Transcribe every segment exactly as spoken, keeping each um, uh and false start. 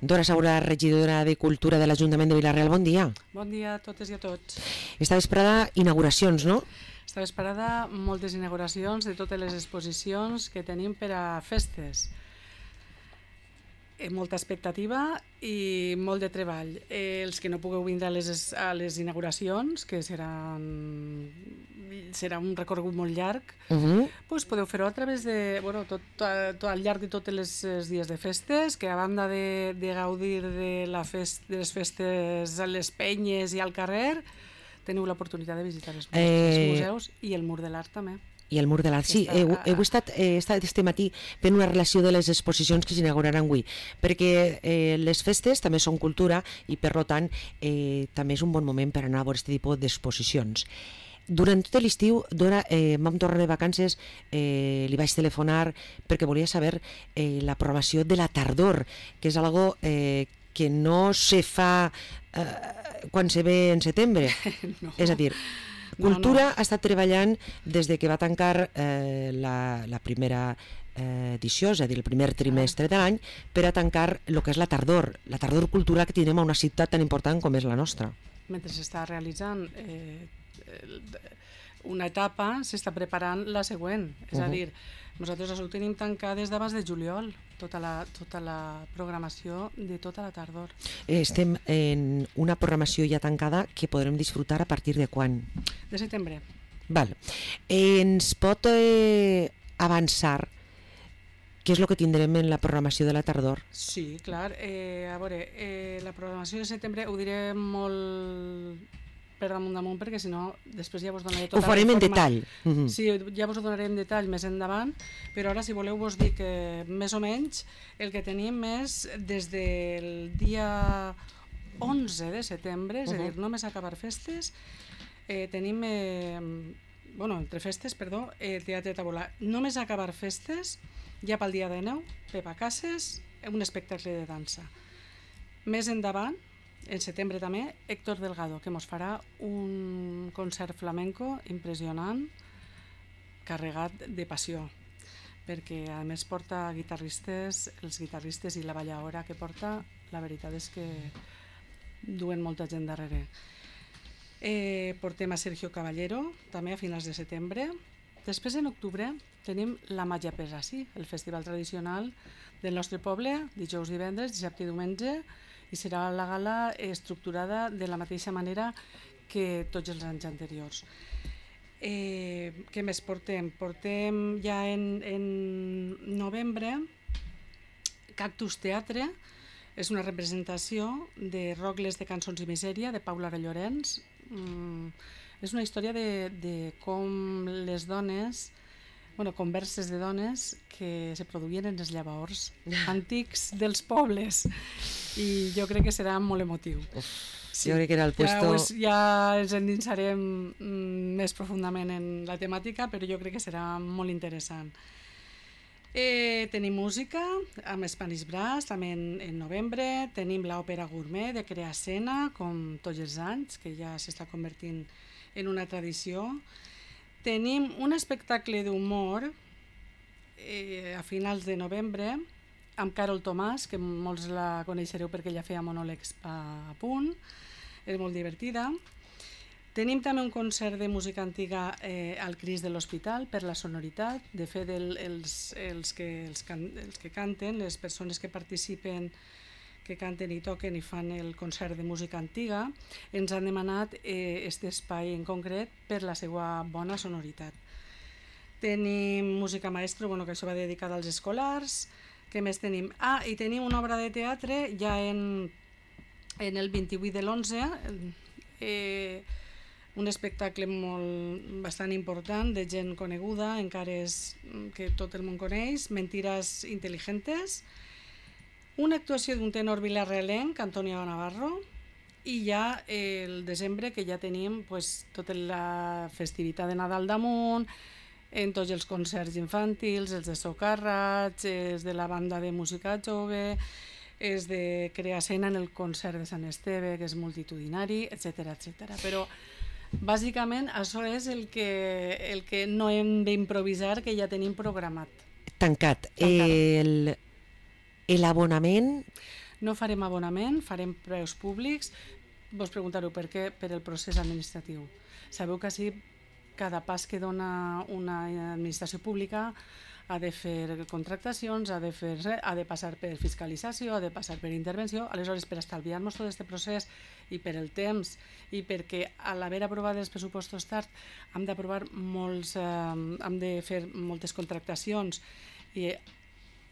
Dora Saura, regidora de Cultura de l'Ajuntament de Vila-real, bon dia. Bon dia a totes i a tots. Esta vesprada, inauguracions, no? Esta vesprada, moltes inauguracions de totes les exposicions que tenim per a festes. Molta expectativa i molt de treball. Eh, els que no pugueu vindre a les, a les inauguracions, que seran, serà un recorregut molt llarg, uh -huh. pues podeu fer-ho a través de, bueno, tot, tot, al llarg de tots els dies de festes, que a banda de, de gaudir de, la fest, de les festes a les penyes i al carrer, teniu l'oportunitat de visitar els, eh... els museus i el Mur de l'Art també. I el Mur de l'Art, sí, heu, heu estat, eh, estat este matí fent una relació de les exposicions que s'inauguraran avui, perquè eh, les festes també són cultura i per tant eh, també és un bon moment per anar a veure aquest tipus d'exposicions. Durant tot l'estiu, Dora, eh, vam tornar de vacances, eh, li vaig telefonar perquè volia saber eh, la programació de la tardor, que és algo eh, que no se fa eh, quan se ve en setembre, no. És a dir, Cultura no, no. ha estat treballant des de que va tancar eh, la, la primera eh, edició, és a dir, el primer trimestre de l'any, per a tancar el que és la tardor, la tardor cultural que tenim a una ciutat tan important com és la nostra. Mentre s'està realitzant eh, una etapa, s'està preparant la següent, és uh -huh. a dir, nosaltres ho tenim tancat des d'abans de juliol, tota la, tota la programació de tota la tardor. Estem en una programació ja tancada que podrem disfrutar a partir de quan? De setembre. Val. Ens pot eh, avançar què és el que tindrem en la programació de la tardor? Sí, clar. Eh, a veure, eh, la programació de setembre ho diré molt per damunt damunt, perquè si no després ja vos donaré tota la Ho farem en detall. Uh-huh. Sí, ja vos ho donaré en detall més endavant, però ara si voleu vos dic que més o menys el que tenim és des del dia onze de setembre, és uh-huh. a dir, només acabar festes, eh, tenim, eh, bueno, entre festes, perdó, el eh, Teatre Tabolà. Només acabar festes, ja pel dia dinou, Pepa Cases, un espectacle de dansa. Més endavant, en setembre també, Héctor Delgado, que mos farà un concert flamenco impressionant, carregat de passió, perquè a més porta guitarristes, els guitarristes i la ballaora que porta, la veritat és que duen molta gent darrere. Eh, portem a Sergio Caballero, també a finals de setembre. Després, en octubre, tenim la Màgia Pesassi, el festival tradicional del nostre poble, dijous, divendres, dissabte i diumenge, i serà la gala estructurada de la mateixa manera que tots els anys anteriors. Eh, què més portem? Portem ja en, en novembre Cactus Teatre, és una representació de Rogles de cançons i misèria, de Paula Llorenç. Mm, és una història de, de com les dones, bueno, converses de dones que se produïen en els llavors antics dels pobles, i jo crec que serà molt emotiu. Uf, sí. Jo crec que era el puesto... Ja, ja ens endinsarem mm, més profundament en la temàtica, però jo crec que serà molt interessant. Eh, tenim música amb Spanish Brass també en, en novembre, tenim l'òpera gourmet de Crea Escena, com tots els anys, que ja s'està convertint en una tradició. Tenim un espectacle d'humor eh, a finals de novembre amb Carol Tomàs, que molts la coneixereu perquè ja feia monòlegs a, a punt, és molt divertida. Tenim també un concert de música antiga eh, al Cris de l'Hospital per la sonoritat. De fet, el, els, els, que, els, can, els que canten, les persones que participen, que canten i toquen i fan el concert de música antiga, ens han demanat eh, este espai en concret per la seva bona sonoritat. Tenim música maestro, bueno, que això va dedicada als escolars. Què més tenim? Ah, i tenim una obra de teatre ja en, en el vint-i-vuit de l'onze, eh, un espectacle molt, bastant important de gent coneguda, encara és que tot el món coneix, Mentiras Inteligentes, una actuació d'un tenor vilarrealenc, Antonio Navarro, i ja el desembre, que ja tenim pues, tota la festivitat de Nadal damunt, en tots els concerts infantils, els de socarrats, els de la banda de música jove, els de Crea Escena en el concert de Sant Esteve, que és multitudinari, etcètera, etcètera. Però bàsicament això és el que, el que no hem d'improvisar, que ja tenim programat. Tancat. El, L'abonament? No farem abonament, farem preus públics. Vos preguntareu per què? Per el procés administratiu. Sabeu que així cada pas que dona una administració pública ha de fer contractacions, ha de, fer, ha de passar per fiscalització, ha de passar per intervenció. Aleshores, per estalviar-nos tot aquest procés i per el temps i perquè a l'haver aprovat els pressupostos tard hem d'aprovar molts, eh, hem de fer moltes contractacions i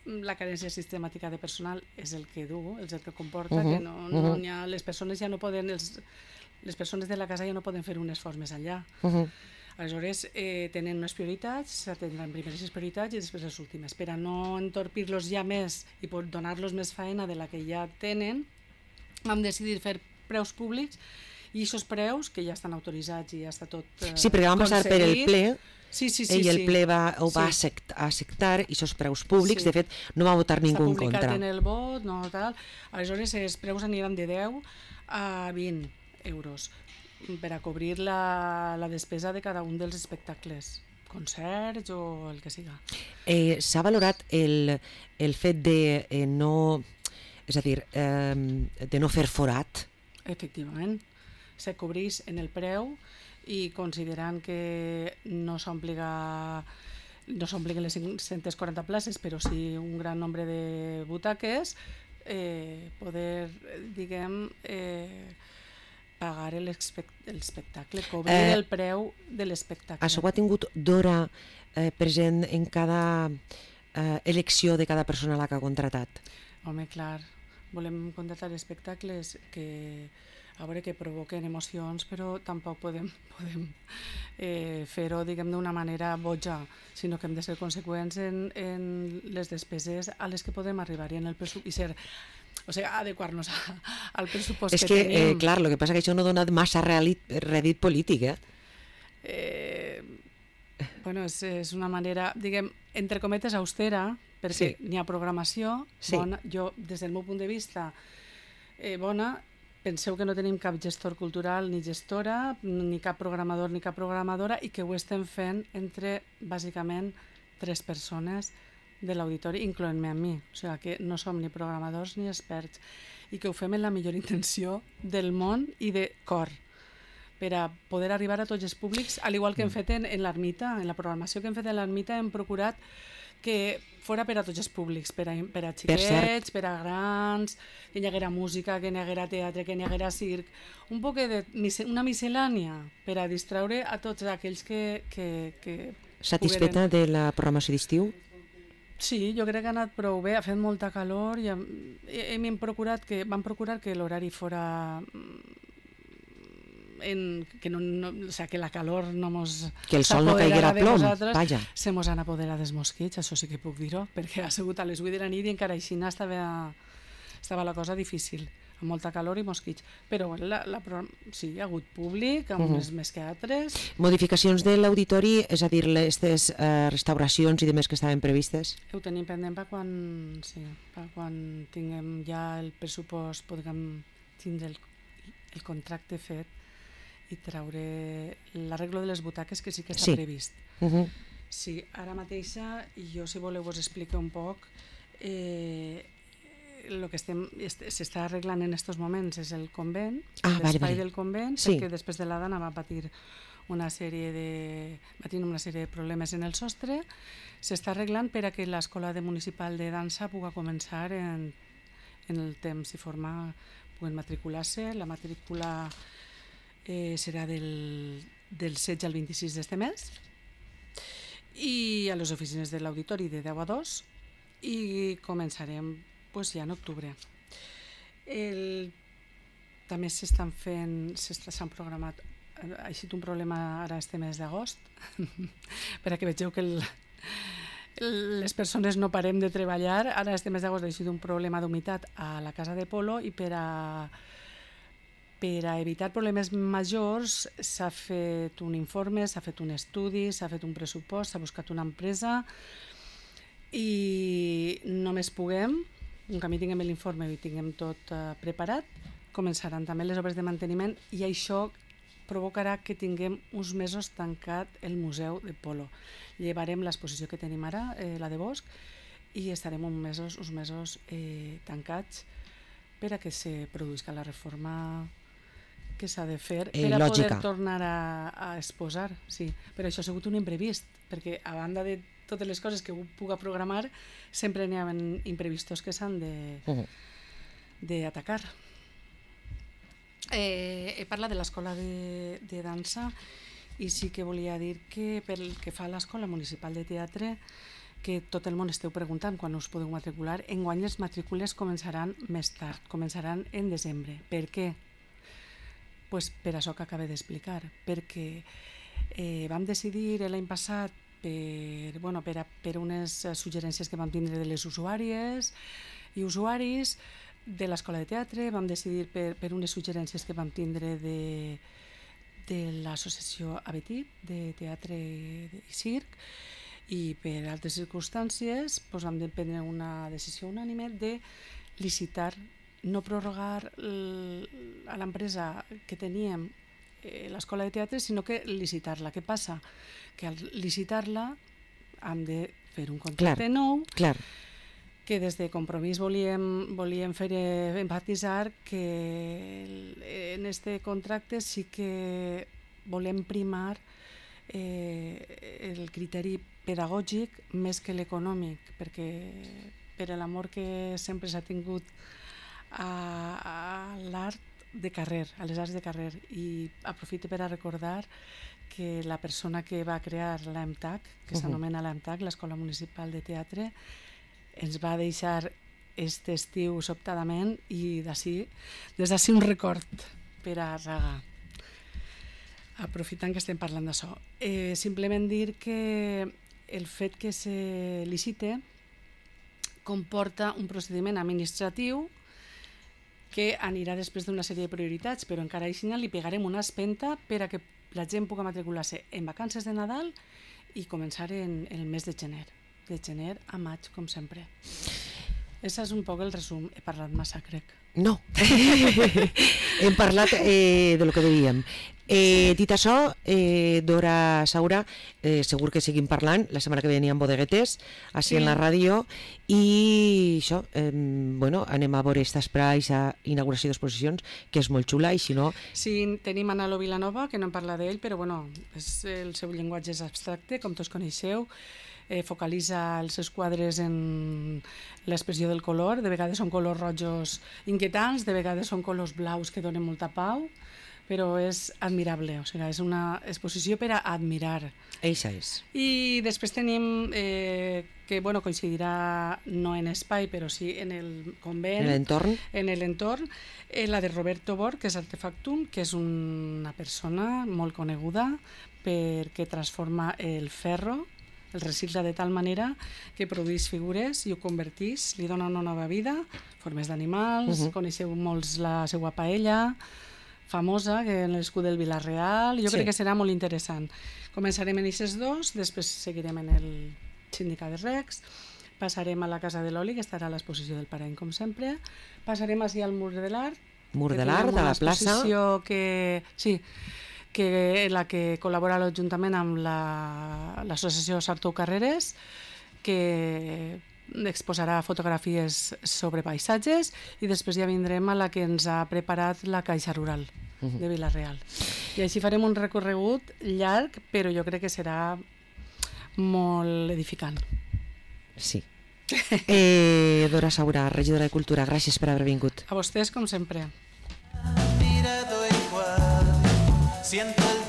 la carència sistemàtica de personal és el que du, és el que comporta uh -huh, que no, no uh -huh. ha, les persones ja no poden, els, les persones de la casa ja no poden fer un esforç més enllà. Uh -huh. Aleshores, eh, tenen unes prioritats, s'atendran primer les prioritats i després les últimes. Per a no entorpir-los ja més i donar-los més feina de la que ja tenen, vam decidir fer preus públics i aquests preus, que ja estan autoritzats i ja està tot eh, sí, perquè vam passar per el ple, sí, sí, sí, i el sí. ple va, ho va sí. acceptar i aquests preus públics, sí. De fet, no va votar ningú en contra. S'ha publicat en el vot, no tal. Aleshores, els preus aniran de deu a vint euros per a cobrir la, la despesa de cada un dels espectacles, concerts o el que siga. Eh, S'ha valorat el, el fet de eh, no, és a dir, eh, de no fer forat? Efectivament, se cobreix en el preu i considerant que no s'obliga no s'obliguen les cinc-centes quaranta places, però sí un gran nombre de butaques, eh, poder, diguem, eh, pagar l'espectacle, cobrir eh, el preu de l'espectacle. Això ho ha tingut Dora eh, present en cada eh, elecció de cada persona a la que ha contratat? Home, clar, volem contratar espectacles que a veure que provoquen emocions, però tampoc podem, podem eh, fer-ho, diguem, d'una manera boja, sinó que hem de ser conseqüents en, en les despeses a les que podem arribar i en el pressupost, i ser, o sigui, adequar-nos a, al pressupost és que, que tenim. Eh, clar, el que passa és que això no dona massa rèdit polític, eh? eh bueno, és, és una manera, diguem, entre cometes austera, perquè sí. N'hi ha programació sí. Bona, jo, des del meu punt de vista, eh, bona. Penseu que no tenim cap gestor cultural ni gestora, ni cap programador ni cap programadora, i que ho estem fent entre, bàsicament, tres persones de l'auditori, incloent-me a mi. O sigui que no som ni programadors ni experts, i que ho fem en la millor intenció del món i de cor, per a poder arribar a tots els públics, al igual que hem fet en, en l'Ermita. En la programació que hem fet en l'Ermita hem procurat que fora per a tots els públics, per a, per a xiquets, per, per a grans, que hi haguera música, que hi haguera teatre, que hi haguera circ, un poc de una miscel·lània per a distraure a tots aquells que... que, que Satisfeta pogueren... de la programació d'estiu? Sí, jo crec que ha anat prou bé, ha fet molta calor i hem, hem procurat que, vam procurar que l'horari fora... En, que, no, no, o sea, que la calor no mos que el sol no caiguera a plom, vaja. Se mos han apoderat dels mosquits, això sí que puc dir-ho, perquè ha sigut a les vuit de la nit i encara així estava, estava la cosa difícil, amb molta calor i mosquits, però la, la, sí, hi ha hagut públic, amb uh -huh. unes més que altres. Modificacions de l'auditori, és a dir, aquestes eh, restauracions i demés que estaven previstes? Ho tenim pendent per quan, sí, per quan tinguem ja el pressupost, podem tindre el, el contracte fet i traure l'arreglo de les butaques, que sí que està sí. previst. Uh -huh. Sí, ara mateixa, i jo si voleu vos explico un poc, eh, el que estem s'està arreglant en aquests moments és el convent, ah, l'espai vale, vale. del convent, sí. Perquè després de la dana va patir una sèrie de va tenir una sèrie de problemes en el sostre. S'està arreglant per a que l'escola de municipal de dansa pugui començar en, en el temps i forma, puguen matricular-se. La matrícula Eh, serà del, del setze al vint-i-sis d'este mes, i a les oficines de l'auditori de deu a dos, i començarem pues, ja en octubre. El, també s'estan fent, s'han programat, ha eixit un problema ara este mes d'agost, per a que vegeu que el, les persones no parem de treballar. Ara este mes d'agost ha eixit un problema d'humitat a la casa de polo, i per a Per a evitar problemes majors s'ha fet un informe, s'ha fet un estudi, s'ha fet un pressupost, s'ha buscat una empresa, i només puguem, un camí tinguem l'informe i tinguem tot uh, preparat, començaran també les obres de manteniment, i això provocarà que tinguem uns mesos tancat el Museu de Polo. Llevarem l'exposició que tenim ara, eh, la de Bosch, i estarem uns mesos, uns mesos eh, tancats per a que se produïsca la reforma que s'ha de fer eh, per a lògica. poder tornar a, a exposar. Sí, però això ha sigut un imprevist, perquè a banda de totes les coses que puga programar, sempre n'hi ha imprevistos que s'han d'atacar. Eh, he parlat de l'escola de, de dansa i sí que volia dir que pel que fa a l'escola municipal de teatre, que tot el món esteu preguntant quan us podeu matricular, enguany les matrícules començaran més tard, començaran en desembre. Per què? Pues per això que acabo d'explicar, perquè eh, vam decidir l'any passat per, bueno, per, a, per unes suggerències que vam tindre de les usuàries i usuaris de l'escola de teatre, vam decidir per, per unes suggerències que vam tindre de, de l'associació Abetit, de teatre i circ, i per altres circumstàncies doncs vam prendre una decisió unànime de licitar, no prorrogar a l'empresa que teníem l'escola de teatre, sinó que licitar-la. Què passa? Que al licitar-la hem de fer un contracte clar, nou, clar. que des de Compromís volíem, volíem fer enfatitzar que en este contracte sí que volem primar eh, el criteri pedagògic més que l'econòmic, perquè per l'amor que sempre s'ha tingut a, a l'art de carrer, a les arts de carrer, i aprofito per a recordar que la persona que va crear l'A M T A C, que uh-huh. s'anomena l'A M T A C, l'Escola Municipal de Teatre, ens va deixar aquest estiu sobtadament, i d'ací, des d'ací un record per a Raga. Aprofitant que estem parlant d'això. Eh, simplement dir que el fet que se licite comporta un procediment administratiu que anirà després d'una sèrie de prioritats, però encara així li pegarem una espenta per a que la gent pugui matricular-se en vacances de Nadal i començar en el mes de gener, de gener a maig, com sempre. Això és un poc el resum. He parlat massa, crec. No, hem parlat eh, de lo que dèiem. Eh, dit això, eh, Dora Saura, eh, segur que seguim parlant, la setmana que ve n'hi ha bodeguetes, així sí. En la ràdio, i això, eh, bueno, anem a veure aquesta espai, aquesta inauguració d'exposicions, que és molt xula, i si no... Sí, tenim Manalo Vilanova, que no en parla d'ell, però bueno, és, el seu llenguatge és abstracte, com tots coneixeu, eh, focalitza els seus quadres en l'expressió del color, de vegades són colors rojos inquietants, de vegades són colors blaus que donen molta pau, però és admirable, o sigui, és una exposició per a admirar. Eixa és. I després tenim, eh, que bueno, coincidirà no en espai, però sí en el convent, en l'entorn, en l'entorn, eh, la de Roberto Bor, que és Artefactum, que és una persona molt coneguda perquè transforma el ferro, el recicla de tal manera que produeix figures i ho converteix, li dona una nova vida, formes d'animals, uh-huh. Coneixeu molts la seva paella, famosa, que en l'escut del Vila-real, jo sí. Crec que serà molt interessant. Començarem en aquests dos, després seguirem en el Sindicat de Recs, passarem a la Casa de l'Oli, que estarà a l'exposició del Parany, com sempre, passarem així al Mur de l'Art, Mur de l'Art, a la plaça, que, sí, que la que col·labora a l'Ajuntament amb l'associació la, Sartou Carreres, que exposarà fotografies sobre paisatges, i després ja vindrem a la que ens ha preparat la Caixa Rural de Vila-real. I així farem un recorregut llarg, però jo crec que serà molt edificant. Sí. Eh, Dora Saura, regidora de Cultura, gràcies per haver vingut. A vostès, com sempre. Siento el